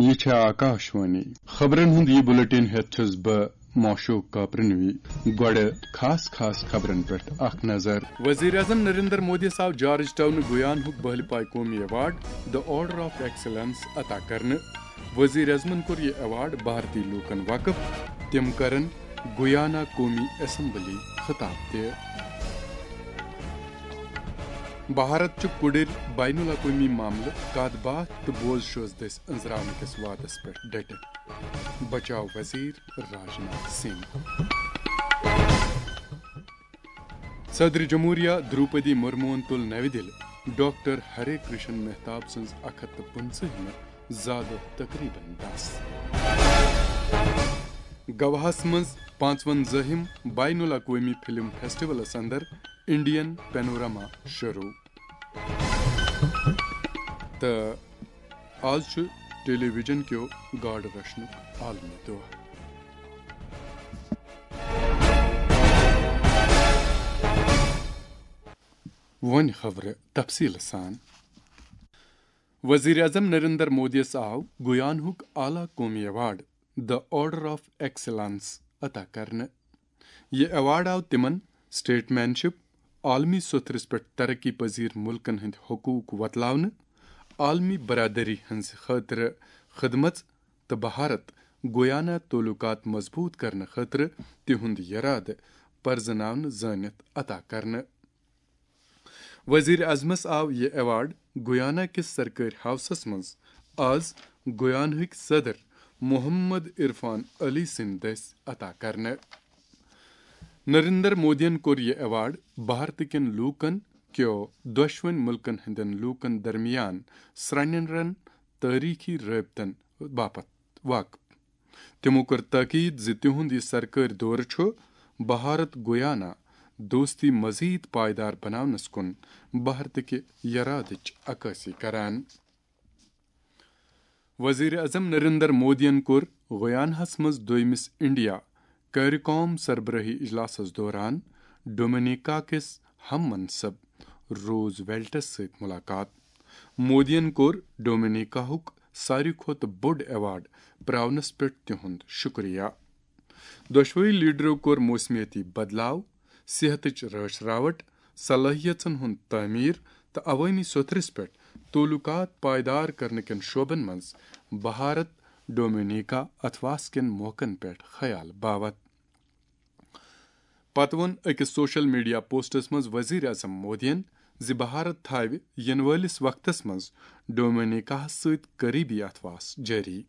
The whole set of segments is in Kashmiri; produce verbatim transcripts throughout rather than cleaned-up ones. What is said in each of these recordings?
یہِ چھےٚ آکاشوانی۔ خبرن ہُنٛد یہِ بُلٹن ہٮ۪تھ چھُس بہٕ معشوق کاپرنوی۔ گۄڈٕ خاص خاص خبرن پٮ۪ٹھ اکھ نظر۔ وزیر اعظم نریندر مودیَس آو جارج ٹاؤن گیانہُک بہلہِ پایہِ قومی award The Order of Excellence عطا کرنہٕ۔ وزیر اعظمن کوٚر یہِ ایوارڈ بھارتی لوٗکن وقف۔ تِم کرن گیانا قومی اسمبلی خطاب تہِ۔ بھارت چھُ کُڑِر بین الاقوٲمی معاملہٕ، کتھ باتھ تہٕ بوز شوز دٔسۍ أنٛزراونہٕ کِس وعدس پٮ۪ٹھ ڈٔٹِتھ، بچاو وزیر راجناتھ سنگھ۔ صدر جمہوریہ دروپدی مرموہن تُل نوِ دِلہِ ڈاکٹر ہرے کرشن مہتاب سٕنٛز اکھ ہتھ تہٕ پٕنٛژٕہمہِ زادٕ تقریباً دس۔ گواہس منٛز پانٛژونزٲہِم بین الاقوٲمی فلم فیسٹیولس اندر انڈین پینوراما شروع۔ تہٕ آز چھُ ٹیلی ویژن کیو گاڈٕ رچھنُک عالمی دۄہ۔ وۄنۍ خبرٕ تفصیٖلہٕ سان۔ وزیر اعظم نریندر مودیَس آو گیانہُک اعلیٰ قومی award The Order of Excellence عطا کرنہٕ۔ یہِ ایوارڈ آو تِمن سٹیٹمین شپ، عالمی سوٚتھرس پٮ۪ٹھ ترقی پذیر ملکن ہٕنٛدۍ حقوق وۄتلاونہٕ، عالمی برادری ہٕنٛز خٲطرٕ خدمژ تہٕ بھارت گیانا تعلقات مضبوط کرنہٕ خٲطرٕ تِہُنٛد یرادٕ پرزناونہٕ زٲنِتھ عطا کرنہٕ۔ وزیر اعظمس آو یہِ ایوارڈ گیانا کِس سرکٲرۍ ہاوسس منٛز آز گیانہٕکۍ صدر محمد عرفان علی سٕنٛدِ دٔسۍ عطا کرنہٕ۔ نریندر مودیَن کوٚر یہِ ایوارڈ بھارتہٕ کٮ۪ن لوٗکن کیو دۄشوٕنۍ مُلکن ہٕنٛدٮ۪ن لوٗکن درمیان سرٛنٮ۪رن تٲریٖخی رٲبطن باپتھ وقف۔ تِمو کٔر تاکید زِ تِہُنٛد یہِ سرکٲرۍ دورٕ چھُ بھارت گیانا دوستی مزید پائیدار بناونس کُن بھارتٕکہِ یرادٕچ عکٲسی کران۔ وزیر اعظم نریندر مودیَن کوٚر گیاناہَس منٛز دوٚیمِس انڈیا کیریکام سربراہی اجلاسَس دوران ڈومینیکا کِس ہم منصب روز ویلٹس سۭتۍ ملاقات۔ مودیَن کوٚر ڈومینیکاہُک ساروی کھۄتہٕ بوٚڑ ایوارڈ پراونس پٮ۪ٹھ تِہُنٛد شُکریہ۔ دۄشوٕے لیڈرو کوٚر موسمیٲتی بدلاو، صحتٕچ رٲچھ راوٹ، صلٲحیژن ہُنٛد تعمیٖر تہٕ عوٲمی سوٚتھرِس پٮ۪ٹھ تعلقات پائیدار کرنہٕ کٮ۪ن شعبن منٛز بھارت ڈومینیکا اتھواس کٮ۪ن موقعن پٮ۪ٹھ خیال باوت۔ پتہٕ ووٚن أکِس سوشل میڈیا پوسٹس منٛز وزیر اعظم مودیَن زِ بھارت تھاوِ یِنہٕ وٲلِس وقتس منٛز ڈومینیکاہَس سۭتۍ قریبی اتھواس جٲری۔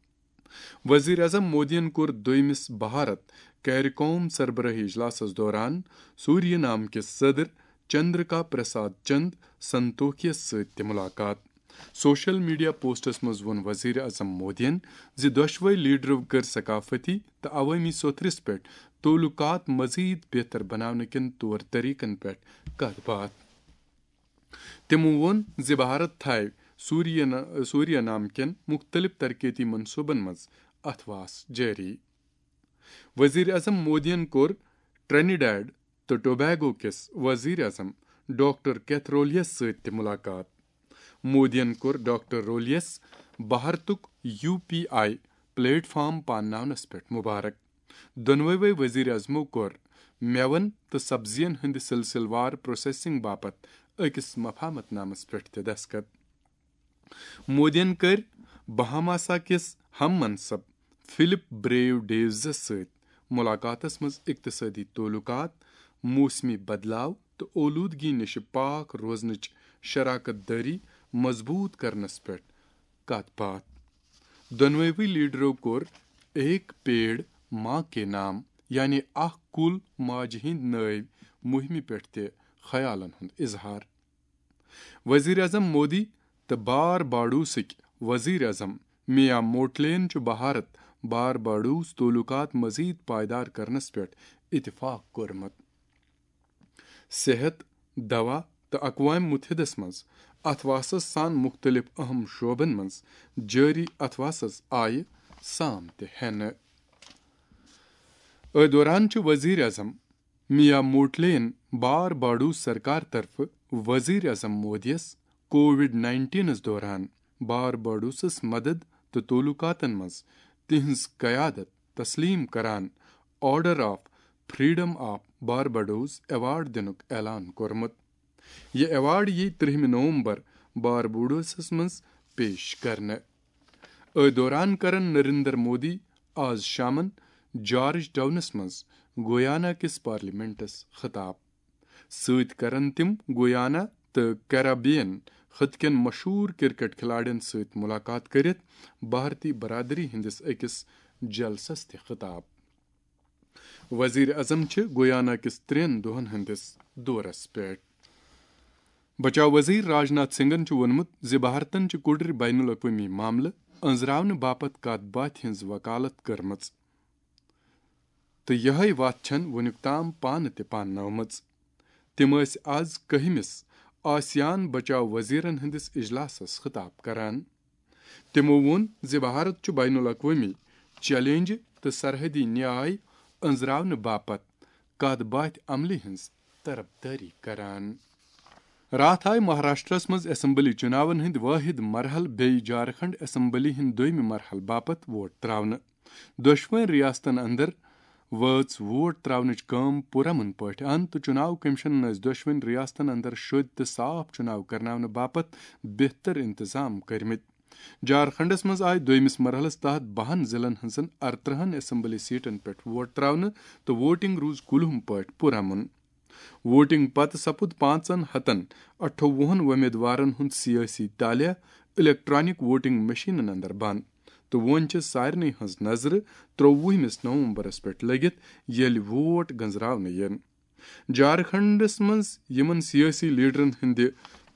وزیر اعظم مودیَن کوٚر دوٚیمِس بھارت کیریکوم سربراہی اجلاسَس دوران سوریہ نام کِس صدر چندرکا پرساد چند سنتوکھیَس سۭتۍ تہِ ملاقات۔ سوشل میڈیا پوسٹس منٛز ووٚن وزیر اعظم مودیَن زِ دۄشوے لیڈرو کٔر ثقافتی تہٕ عوٲمی سوٚتھرِس پٮ۪ٹھ تعلقات مزید بہتر بناونہٕ کٮ۪ن طور طریقن پٮ۪ٹھ کتھ باتھ۔ تِمو ووٚن زِ بھارت تھاوِ سوریہ نا-، سوریہ نام کٮ۪ن مُختٔلِف ترقیتی منصوبن منٛز اتھواس جٲری۔ وزیر اعظم مودیَن کوٚر ٹرینیڈاڈ تہٕ ٹوبیگو کِس وزیر اعظم ڈاکٹر کیتھرولیس سۭتۍ تہِ ملاقات۔ مودیَن کوٚر ڈاکٹر رولیس بھارتُک U P I platform پانناونس پٮ۪ٹھ مبارک۔ دۄنوَے وزیر اعظمو کوٚر مٮ۪وَن تہٕ سبزین ہٕنٛدِ سلسلہٕ وار پروسیسنگ باپتھ أکِس مفاہمت نامس پٮ۪ٹھ تہِ دستخط۔ مودیَن کٔرۍ بہاماسا کِس ہم منصب فلپ بریو ڈیوزس سۭتۍ ملاقاتس منٛز اقتصٲدی تعلقات، موسمی بدلاو تہٕ اولودگی نِش پاک روزنٕچ شراکت دٲری مضبوط کرنس پٮ۪ٹھ کتھ باتھ۔ دۄنوَے لیڈرو کوٚر ایک پیڑ ماں کے نام، یعنی اکھ کُل ماجہِ ہٕنٛدۍ نٲوۍ مُہِمہِ پٮ۪ٹھ تہِ خیالن ہُنٛد اظہار۔ وزیر اعظم مودی تہٕ بار باڈوسٕکۍ وزیر اعظم میا موٹلین چھُ بھارت بار باڈوس تعلقات مزید پائیدار کرنس پٮ۪ٹھ اتفاق کوٚرمُت۔ صحت، دوا تہٕ اقوام متحدس منٛز اتھواسس سان مُختٔلِف اہم شعبن منٛز جٲری اتھواسس آیہِ سام تہِ ہٮ۪نہٕ۔ أتھۍ دوران چھُ وزیر اعظم میا موٹلین بار باڈوس سرکار طرفہٕ وزیر اعظم مودیَس کووڈ نائنٹینس دوران بار باڈوسس مدد تہٕ تعلقاتن منٛز تہنٛز قیادت تسلیم کران order of freedom of Barbados award دِنُک اعلان کوٚرمُت۔ یہِ ایوارڈ یِیہِ ترٛہمہِ نومبر باربڈوسس منٛز پیش کرنہٕ۔ أتھۍ دوران کرن نریندر مودی آز شامن جارج ٹاؤنس منٛز گویانا کِس پارلیمنٹس خطاب۔ سۭتۍ کرن تِم گویانا تہٕ کیرابین خطہٕ کٮ۪ن مشہوٗر کرکٹ کھلاڑٮ۪ن سۭتۍ ملاقات کٔرِتھ بھارتی برادری ہٕنٛدِس أکِس جلسس تہِ خطاب۔ وزیر اعظم چھِ گویانا کِس ترٛٮ۪ن دۄہن ہٕنٛدِس دورس پٮ۪ٹھ۔ بچاو وزیر راجناتھ سنگھن چھُ ووٚنمُت زِ بھارتن چھِ کُڑرِ بین الاقوٲمی معاملہٕ أنٛزراونہٕ باپتھ کتھ باتھِ ہٕنٛز وکالت کٔرمٕژ تہٕ یِہے وتھ چھَن وُنیُک تام پانہٕ تہِ پاننٲومٕژ۔ تِم ٲسۍ از کٔہمِس آسیان بچاو وزیرن ہٕنٛدِس اجلاسس خطاب کران۔ تِمو ووٚن زِ بھارت چھُ بین الاقوٲمی چیلنجہِ تہٕ سرحدی نیاے أنٛزراونہٕ باپتھ کتھ باتھِ عملہِ ہٕنٛز طرفدٲری کران۔ راتھ آیہِ مہاراشٹرس منٛز اسمبلی چُناون ہٕنٛدۍ وٲحد مرحلہٕ بیٚیہِ جھارکھنڈ اسمبلی ہٕنٛدۍ دوٚیمہِ مرحلہٕ باپتھ ووٹ تراونہٕ۔ دۄشوٕنۍ ریاستن اندر وٲژ ووٹ تراونٕچ کٲم پُرامن پٲٹھۍ اند تہٕ چُناو کمیشنن ٲسۍ دۄشوٕنۍ ریاستن اندر شوٚدۍ تہٕ صاف چُناو کرناونہٕ باپتھ بہتر انتظام کٔرمٕتۍ۔ جھارکھنڈس منٛز آیہِ دوٚیمِس مرحلس تحت بَہَن ضلعن ہٕنٛزن اَرترٛہَن اسمبلی سیٹن پٮ۪ٹھ ووٹ تراونہٕ تہٕ ووٹنگ روٗز کُلہُم پٲٹھۍ پُرامن۔ ووٹنگ پتہٕ سپُد پانٛژن ہتن اَٹھووُہَن وۄمیدوارن ہُنٛد سیٲسی تالیہ الیکٹرانک ووٹنگ مشینن اندر بند، تہٕ وۄنۍ چھِ سارنٕے ہٕنٛز نظرٕ ترٛووُہمِس نومبرس پٮ۪ٹھ لٔگِتھ، ییٚلہِ ووٹ گنزراونہٕ یِن۔ جھارکھنڈس منٛز یِمن سیٲسی لیڈرن ہٕنٛدِ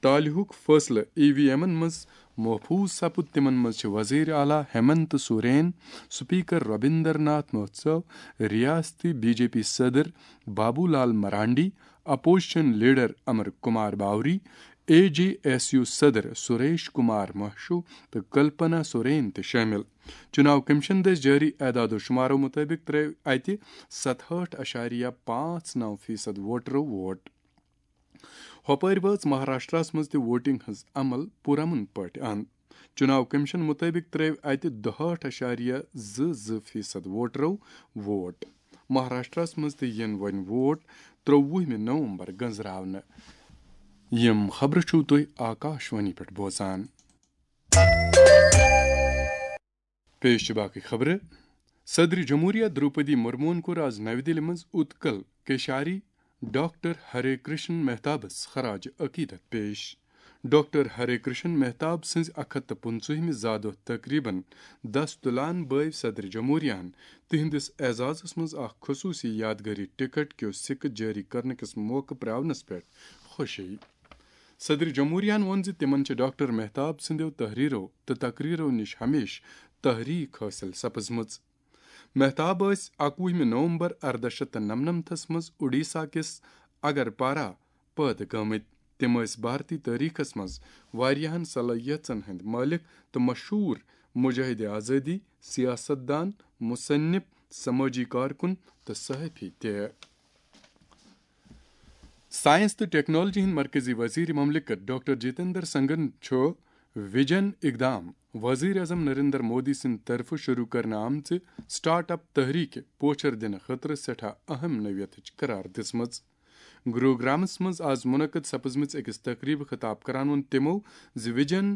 تالیہُک فٲصلہٕ ای وی ایمن منٛز محفوظ سپُد، تِمن منٛز چھِ وزیر اعلیٰ ہیمنت سورین، سپیکر ربیندر ناتھ مہتسو، ریاستی بی جے پی صدر Babu Lal Marandi, opposition leader Amar Kumar Bauri, A J S U صدر سریش کمار مہشو تہٕ کلپنا سورین تہِ شٲمِل۔ چُناو کمیشن دٔسۍ جٲری اعداد و شمارو مُطٲبِق ترٲوۍ اَتہِ ستہٲٹھ اَشاریہ پانٛژھ نَو فیٖصد ووٹرو ووٹ۔ ہۄپٲرۍ وٲژ مہاراشٹرس منٛز تہِ ووٹنگ ہٕنٛز عمل پُرامن پٲٹھۍ اند۔ چُناو کمیشن مُطٲبِق ترٲوۍ اَتہِ دُہٲٹھ اَشاریہ زٕ زٕ فیٖصد ووٹرو ووٹ۔ مہاراشٹرس منٛز تہِ یِن وۄنۍ ووٹ ترٛووُہمہِ نومبر گنزراونہٕ۔ یِم خبرٕ چھِو تُہۍ آکاش وانی پٮ۪ٹھ بوزان۔ پیش چھِ باقٕے خبرٕ۔ صدر جمہوریہ دروپدی مرموہن کوٚر آز نَوِ دِلہِ منٛز اُتکل کیشاری ڈاکٹر ہرے کرشن مہتابس خراج عقیدت پیش۔ ڈاکٹر ہرے کرشن مہتاب سٕنٛزِ اَکھ ہَتھ تہٕ پٕنٛژٕہمہِ زادۄہ تقریباً دست تُلان بٲوۍ صدر جمہوریہن تِہنٛدِس اعزازس منٛز اکھ خصوٗصی یادگٲری ٹکٹ کیو سِکہٕ جٲری کرنہٕ کِس موقعہٕ پراونس پٮ۪ٹھ خوشی۔ صدر جمہوریہن ووٚن زِ تِمن چھِ ڈاکٹر مہتاب سٕنٛدیو تحریرو تہٕ تقریرو نِش ہمیشہٕ تحریک حٲصِل سپٕزمٕژ۔ مہتاب ٲسۍ اَکوُہمہِ نومبر ارداہ شیٚتھ تہٕ نَمنَمتھس منٛز اوڈیسا کِس اگرپارا پٲدٕ گٲمٕتۍ۔ تِم ٲسۍ بھارتی تٲریخس منٛز واریاہن صلٲحیژن ہٕنٛدۍ مٲلِک تہٕ مشہوٗر مجاہد آزٲدی، سیاست دان، مصنف، سمٲجی کارکُن تہٕ صحافی تہِ۔ ساینس تہٕ ٹیکنالوجی ہٕنٛدۍ مرکزی وزیر مملکت ڈاکٹر جتیندر سنگھن چھُ ویژن اقدام وزیر اعظم نریندر مودی سٕنٛدِ طرفہٕ شروع کرنہٕ آمژِ سٹارٹ اپ تحریک پوچھر دِنہٕ خٲطرٕ سٮ۪ٹھاہ اہم نوعیتٕچ قرار دِژمٕژ۔ گروگرامس منٛز آز منعقد سپزمٕژ أکِس تقریبہِ خطاب کران ووٚن تِمو زِ ویژن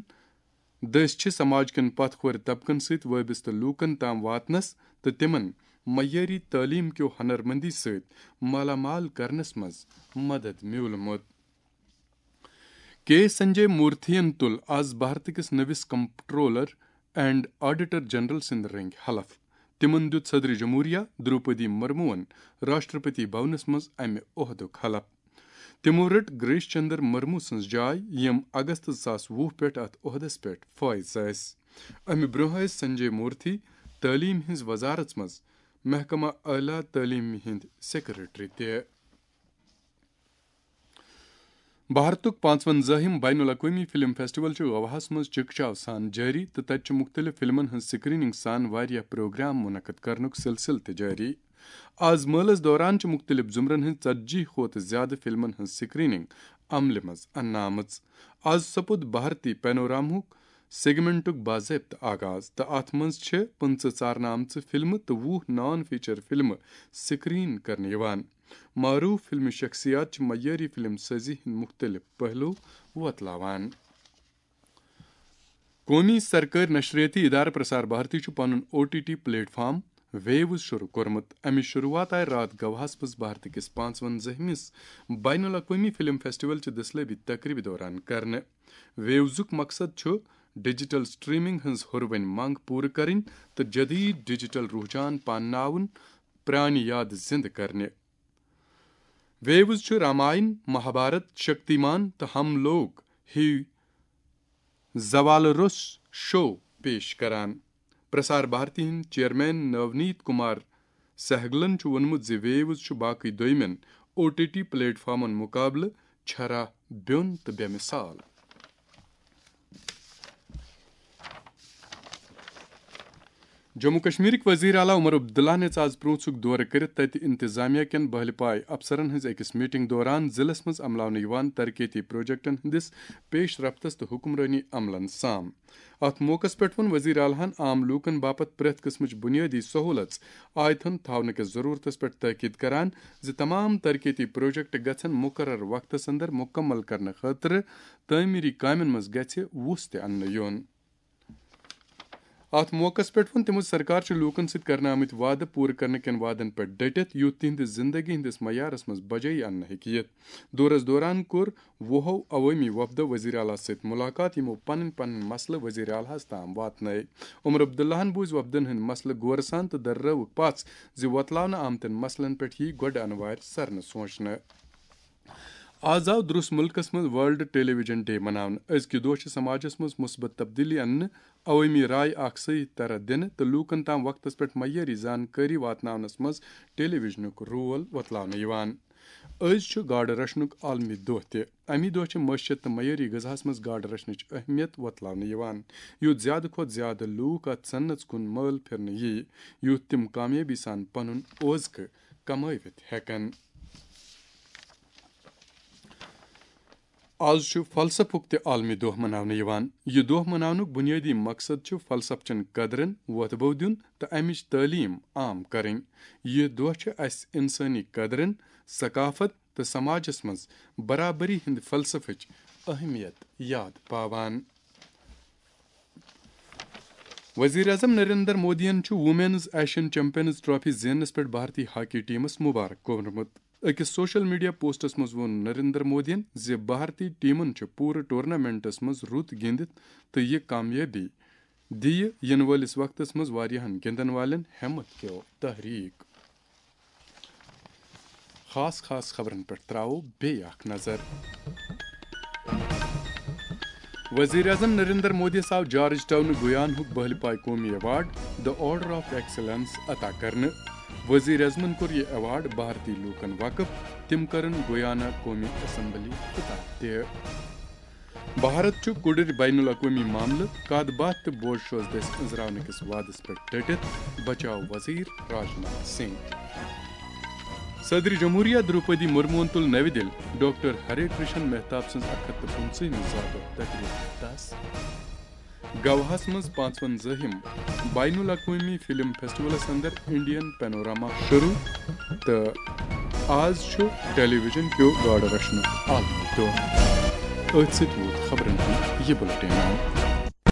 دٔسۍ چھِ سماج کٮ۪ن پتھ کھورِ طبقن سۭتۍ وٲبستہٕ لوٗکن تام واتنس تہٕ تِمن معیٲری تعلیٖم کیو ہنرمندی سۭتۍ مالا مال کرنس منٛز مدد میوٗلمُت۔ کے سنجے مورتھین تُل آز بھارت کِس نٔوِس کمپٹرولر اینڈ آڈیٹر جنرل سٕنٛدِ رٔنٛگۍ حلف۔ تِمن دیُت صدر جمہوریہ دروپدی مرموہن راشٹرپتی بھونس منٛز امہِ عہدُک حلف۔ تِمو رٔٹ گریش چندر مرمو سٕنٛز جاے، یِم اگست زٕ ساس وُہ پٮ۪ٹھ اتھ عہدس پٮ۪ٹھ فٲیض ٲسۍ۔ امہِ برٛونٛہہ ٲسۍ سنجے مورتھی تعلیٖم ہٕنٛز وزارت منٛز محکمہ اعلیٰ تعلیٖم ہٕنٛدۍ سیکرٹری تہِ۔ بھارتُک پانٛژوَنزاہِم بین الاقوٲمی فلم فیسٹیول چھُ گواہَس منٛز چکچاو سان جٲری تہٕ تتہِ چھُ مُختٔلِف فلمن ہٕنٛز سکریننگ سان واریاہ پروگرام منعقد کرنُک سلسلہٕ تہِ جٲری۔ آز مٲلَس دوران چھِ مُختٔلِف زمرن ہٕنٛز ژتجی کھۄتہٕ زِیٛادٕ فلمن ہٕنٛز سکریننگ عملہِ منٛز اننہٕ آمٕژ۔ آز سپُد بھارتی پینورامہُک سیگمنٹُک باضٲبطہٕ آغاز، تہٕ اتھ منٛز چھِ پٕنٛژٕہ ژارنہٕ آمژٕ فلمہٕ تہٕ وُہ نان فیچر فلمہٕ سکرین کرنہٕ یِوان۔ معروف فلمی شخصیات چھِ معیٲری فلم سٲزی ہٕنٛدۍ مُختٔلِف پہلو وۄتلاوان۔ قومی سرکٲرۍ نشریٲتی ادارٕ پرسار بھارتی چھُ پنُن O T T platform Waves شروع کوٚرمُت۔ امِچ شروعات آیہِ راتھ گواہس منٛز بھارت کِس پانٛژوَنزٲہمِس بین الاقوٲمی فلم فیسٹیول چہِ دٔسلٲبی تقریبہِ دوران کرنہٕ۔ ویوزُک مقصد چھُ ڈیجیٹل سٹریمنگ ہٕنٛز ہُروٕنۍ منگ پوٗرٕ کرٕنۍ تہٕ جدید ڈیجیٹل رجحان پانناوُن، پرانہِ یادٕ زِندٕ کرنہِ۔ ویوز چھُ راماین، مہابھارت، شکتیمان تہٕ ہم لوگ ہی زوال روٚس شو پیش کران۔ پرسار بھارتی ہٕنٛدۍ چیئرمین نونیت کمار سہگلن چھُ ووٚنمُت زِ ویوز چھُ باقٕے دوٚیمٮ۪ن او ٹی ٹی پلیٹ فارمن مقابلہٕ چھرا بیوٚن تہٕ بے مثال۔ جموں کشمیرٕکۍ وزیر اعلیٰ عمر عبداللہ نِژ آز پرونسُک دورٕ کٔرِتھ تَتہِ انتظامیہ کٮ۪ن بہلہِ پاے افسرن ہٕنٛز أکِس میٹنگ دوران ضلعس منٛز عملاونہٕ یِوان ترقیتی پروجیکٹن ہٕنٛدِس پیش رفتس تہٕ حکمرٲنی عملن سام۔ اتھ موقعس پٮ۪ٹھ ووٚن وزیر اعلیٰ ہن عام لوٗکن باپتھ پرٛٮ۪تھ قٕسمٕچ بُنیٲدی سہوٗلژ آیتن تھاونہٕ کِس ضروٗرتس پٮ۪ٹھ تٲکید کران زِ تمام ترقیتی پروجیکٹ گژھن مقرر وقتس اندر مُکمل کرنہٕ خٲطرٕ تعمیری کامٮ۪ن منٛز گژھِ وُژھ تہِ اننہٕ یُن۔ اتھ موقعس پٮ۪ٹھ ووٚن تِمو زِ سرکار چھِ لوٗکن سۭتۍ کرنہٕ آمٕتۍ وعدٕ پوٗرٕ کرنہٕ کٮ۪ن وعدن پٮ۪ٹھ ڈٔٹِتھ، یُتھ تِہنٛدِس زندگی ہٕنٛدِس معیارس منٛز بجٲیی اننہٕ ہیٚکہِ یِتھ۔ دورس دوران کوٚر وُہو عوٲمی وفدو وزیر اعلیٰ سۭتۍ مُلاقات، یِمو پنٕنۍ پنٕنۍ مسلہٕ وزیر اعلیٰ ہس تام واتنٲے۔ عمر عبداللہن بوٗزۍ وفدن ہٕنٛدۍ مسلہٕ غورٕ سان تہٕ دررٲوٕکھ پژھ زِ وۄتلاونہٕ آمتٮ۪ن مسلن پٮ۪ٹھ یِیہِ گۄڈٕ انوارِ سرنہٕ سونچنہٕ۔ آز آو درٛس مُلکس منٛز ورلڈ ٹیلی ویژن ڈے مناونہٕ۔ أزکہِ دۄہ چھِ سماجس منٛز مثبت تبدیلی اننہٕ، عوٲمی راے اکھ صحیح طرح دِنہٕ تہٕ لوٗکن تام وقتس پٮ۪ٹھ معیٲری زانکٲری واتناونس منٛز ٹیلی ویژنُک رول وۄتلاونہٕ یِوان۔ أزۍ چھُ گاڈٕ رچھنُک عالمی دۄہ تہِ۔ اَمی دۄہ چھِ معیشت تہٕ معیٲری غذاہَس منٛز گاڈٕ رچھنٕچ اہمیت وۄتلاونہٕ یِوان، یُتھ زیادٕ کھۄتہٕ زیادٕ لوٗکھ اَتھ صنعتَس کُن مٲل پھِرنہٕ یِیہِ، یُتھ تِم کامیٲبی سان پنُن اوزکہٕ کمٲوِتھ ہٮ۪کَن۔ آز چھُ فلسفُک تہِ عالمی دۄہ مناونہٕ یِوان۔ یہِ دۄہ مناونُک بُنیٲدی مقصد چھُ فلسفہٕ چٮ۪ن قدرن وۄتھٕ بو دیُن تہٕ اَمِچ تعلیٖم عام کرٕنۍ۔ یہِ دۄہ چھُ اَسہِ اِنسٲنی قدرن، ثقافت تہٕ سماجس منٛز برابری ہٕنٛدِ فلسفٕچ اہمیت یاد پاوان۔ وزیر اعظم نریندر مودیَن چھُ وومینز ایشین چیمپئنز ٹرافی زیننس پٮ۪ٹھ بھارتی ہاکی ٹیمس مبارک کوٚرمُت۔ أکِس سوشل میڈیا پوسٹس منٛز ووٚن نریندر مودیَن زِ بھارتی ٹیمن چھُ پوٗرٕ ٹورنامنٹس منٛز رُت گِنٛدِتھ تہٕ یہِ کامیٲبی دِیہِ یِنہٕ وٲلِس وقتس منٛز واریاہن گِنٛدن والٮ۪ن ہٮ۪متھ کیو تحریک۔ خاص خاص خبرن پٮ۪ٹھ تراوو بیٚیہِ اکھ نظر۔ وزیر اعظم نریندر مودیَس آو جارج ٹاؤنہٕ گویانہُک بہلہِ پاے قومی award the order of excellence عطا کرنہٕ۔ وزیر اعظمن کوٚر یہِ ایوارڈ بھارتی لوٗکن وقف، تِم کرن گویانا قومی اسمبلی خطاب تہِ۔ بھارت چھُ کُڑٕرۍ بین الاقوٲمی معاملہٕ، کتھ باتھ تہٕ بوجھ شوز دٔسۍ أنٛزراونہٕ کِس وعدس پٮ۪ٹھ ڈٔٹِتھ، بچاو وزیر راجناتھ سنگھ۔ صدر جمہوریہ دروپدی مرموَن تُل نَوِ دِلہِ ڈاکٹر ہرے کرشن مہتاب سٕنٛز اکھ ہتھ تہٕ پٕنٛژٕہمہِ زا دۄہ تقریبہِ دس۔ گواہس منٛز پانٛژوَنزٲہِم بین الاقوٲمی فلم فیسٹیولس اندر انڈین پینوراما شروع تہٕ آز چھُ ٹیلی ویژن کیو گاڈٕ رچھنُک عالمی دۄہ۔ أتھۍ سۭتۍ ووت خبرن ہُنٛد یہِ بُلٹن۔